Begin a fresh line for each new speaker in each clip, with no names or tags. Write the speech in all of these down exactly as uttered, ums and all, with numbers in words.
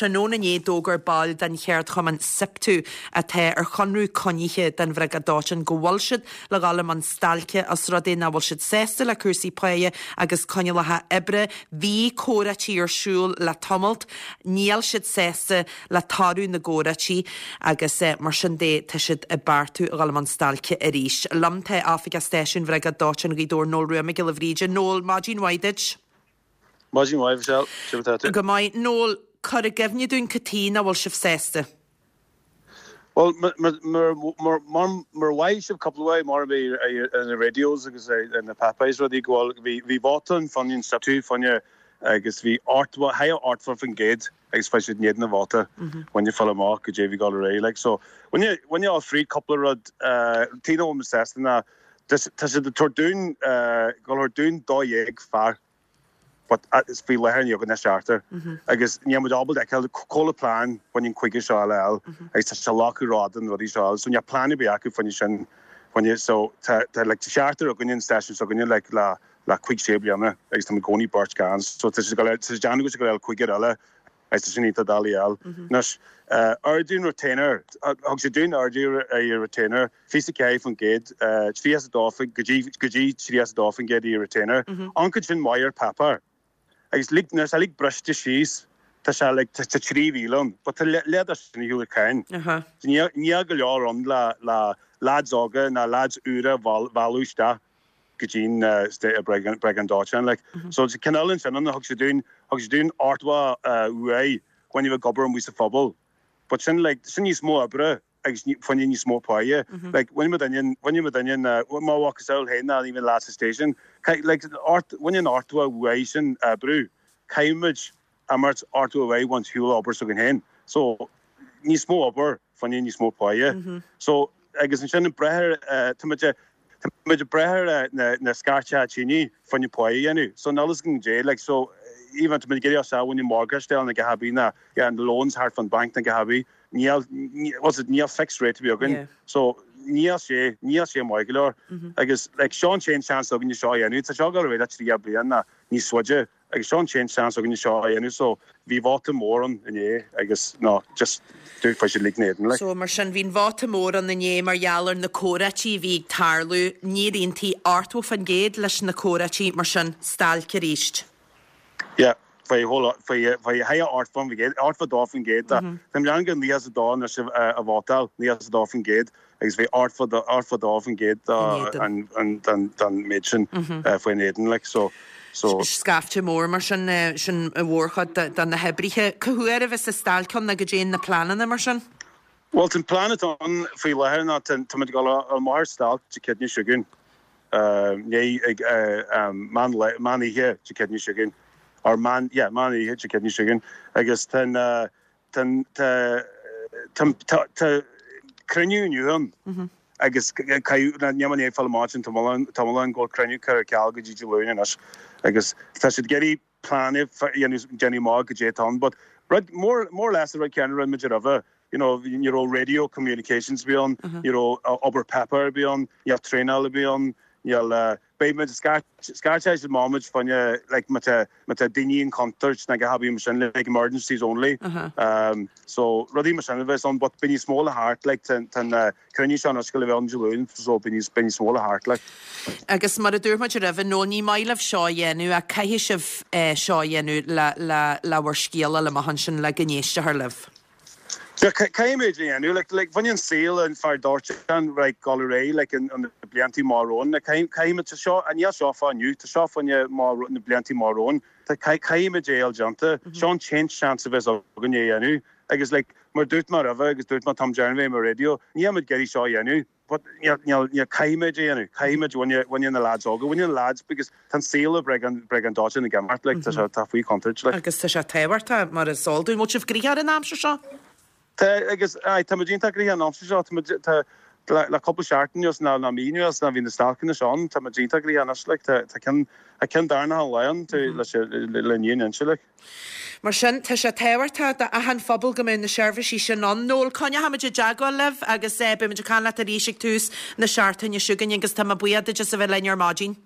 Tráthnóna inné d'fhógair baill den cheardchumann SIPTU atá ar chonradh coinnithe den Bhriogáid Dóiteáin go bhfuil siad le dhul i mbun stailce os rud é nach bhfuil siad sásta le cúrsaí páighe agus coinníollacha oibre. Bhí comhráití ar siúl le tamalt, níl siad sásta le toradh na gcomhráití agus eh, mar sin de tá siad ag beartú a dhul i mbun stailce arís. Liom tá Oifigeach Stáisiúin Bhriogáid Dóiteáin Ghaoth Dobhair Noel Rua Mac Giolla Bhríde. Noel maidin mhaith duit.
Maidin mhaith Michelle
Go maith Noel cur i gcuimhne dúinn cad chuige nach bhfuil sibh sásta.
Well mar mhaith sibh cúpla mar bhí na radios agus na papéis rudaí go bhí bhí vóta fá choinne SIPTU fá choinne agus bhí ha ochtó faoin gcéad agus fé siad néad na vóta bhaine fáil amach go dé bhí gal ré like so bhaine bhaine á frí cúpla rud tí sásta ná tá siad ag tabhairt dúinn go dúinn dó dhéag fear but is faoi láthair ní na seachtar agus ní muid ábalta cóla plan bhain chuige seo eile agus tá sé leathú rád an rudaí seo so níl plan ar bith acu faoin sin faoin so tá le seachtar againn an station so againn le le le cúig sé bliana agus tá gcóí beirt gan so tá sé déanamh go le cúigear eile agus sin tá dalí eil. Anois ardú retainer thug sé dúinn ardú ar retainer fiche ceathair faoin gcéad trí a dó go dtí trí a dó faoin gcéad i retainer. An chuid sin maith ar paper. Agus lig na lig briste síos tá sé le tá trí mhíle but tá le sin hiúla cein. Ní go leor an le le lads óga na lads úra bhálúiste go dtín Briogáid Dóiteáin like. So ceann sin an thug sé dúinn thug sé dúinn ochtó uaidh chuin bheith gobar mu sa phobal. But sin like sin níos mó oibre agus fá choinne níos mó páighe like bhain daine bhain daine má bha héin na even last station like bhain an ochtó uaidh sin brú caithfimid amart ochtó uaidh bhaint hiúla obair so héin so níos mó obair fá choinne níos mó páighe so agus an sin an breithe tá muid breithe na na scairteadh tine fá choinne páighe dhéanamh so nálas an dé like so even to get sa when you mortgage na go habi na yeah and the loans thart fan bank na go habi níl was it níl fixed rate bhí againn so níl sé níl sé maith go leor agus like seo an t-aon chance againn seo dhéanamh tá seo go raibh trí bliain na níos faide agus seo an t-aon chance againn seo dhéanamh so bhí vóta mór ann inné agus no just dúirt fá siad lignéad like.
So mar sin bhí'n vóta mór ann inné mar gheall ar na comhráití bhí ag tarlú níor aontaigh ochtó faoin gcéad leis na comhráití mar sin stailc arís.
Yeah faoi faoi ha ochtó faoin gcéad ochtó dó faoin gcéad Tá lean go níos dá na sih a vótáil níos dó faoin gcéad agus bhí ochtó dó faoin gcéad an méid sin faoin éadan like so so
Scaifte mór mar sin sin a mhórchuid de na hoibrithe. Cá huair a bheas an stailc ann go dtéann na pleananna mar sin?
Well an plan atá ann faoi láthair ná tá go an mar stailc Dé Céadaoine seo chugainn né ag meán oíche Dé Céadaoine seo chugainn or man yeah meán oíche Dé Céadaoine seo chugainn agus ten ten tá cruinniú inniu ann agus ní fá má tá an go cruinniú chu ceal go dtí Luan anois agus tá siad géirí plan déanamh má go dé but rud more more or less rud ceann rud muid roimhe you know ní raibh radio communications bhí ann ní raibh obair pepper bhí ann níl traenáil bhí ann níl beidh muid scairteadh máid fá choinne like má tá má tá daoine in contúirt na go haí sin like emergencies only um so rudaí mar sin a bheith ann but bíonn níos mó le theacht like ten cruinniú se an go bheith Luan so bíonn níos bíonn níos mó le theacht like
Agus mar a dúirt muid roimhe nó ní maith libh seo a dhéanamh a caithfidh sibh seo a dhéanamh le le le bhur scéal le maith sin le go n-éistear libh.
Caithfimid dhéanamh like like bhain an saol an fear dóiteáin like go ré like an an blianta marón caithfimid seo an níl seo fá inniu tá seo fá choinne má na blianta marón Tá caithfimid é déanta seo an t-aon chance a bheas againn é dhéanamh agus like mar dúirt mar roimhe agus dúirt má tam dearna mar radio ní muid géirí seo dhéanamh but níl caithfimid dhéanamh caithfimid bhaine na lads óga bhaine na lads because tá saol Briogáid Briogáid Dóiteáin na gemart like tá tá faoi chontúirt like.
Agus tá sé tábhachtach mar is eol dúinn bhfuil sibh gnoitheach ar an aimsir seo?
Tá agus tá mu díonta an aimsir seo tá le cúpla seachtain anuas ná na mí anuas na bhí na stailceanna seo tá mu díonta an like tá ceann a ceann darna an leon le le ní inse like.
Mar sin tá sé tábhachtach do achan phobal go mbeidh na seirbhísí sin ann. Noel coinneoimid i dteagmháil libh agus beimid ag caint leat arís ag tús na seachtaine seo chugainn agus tá mé buíoch duit as a bheith linn ar maidin.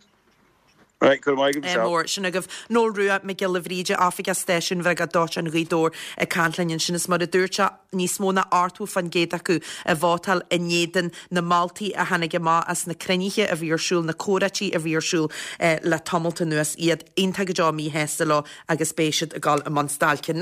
Right, go raibh maith agat Michelle.
Mór sin agaibh. Noel Rua Mac Giolla Bhríde Oifigeach Stáisiúin Bhriogáid Dóiteáin Ghaoth Dobhair ag caint linn ansin is mar a dúirt sé níos mó ná ochtó faoin gcéad acu a vótáil in éadan na moltaí a tháinig amach as na cruinnithe a bhí ar siúl, na comhráití a bhí ar siúl le tamalt anuas iad iontach go deo míshásta leo agus beidh siad ag dul i mbun stailce.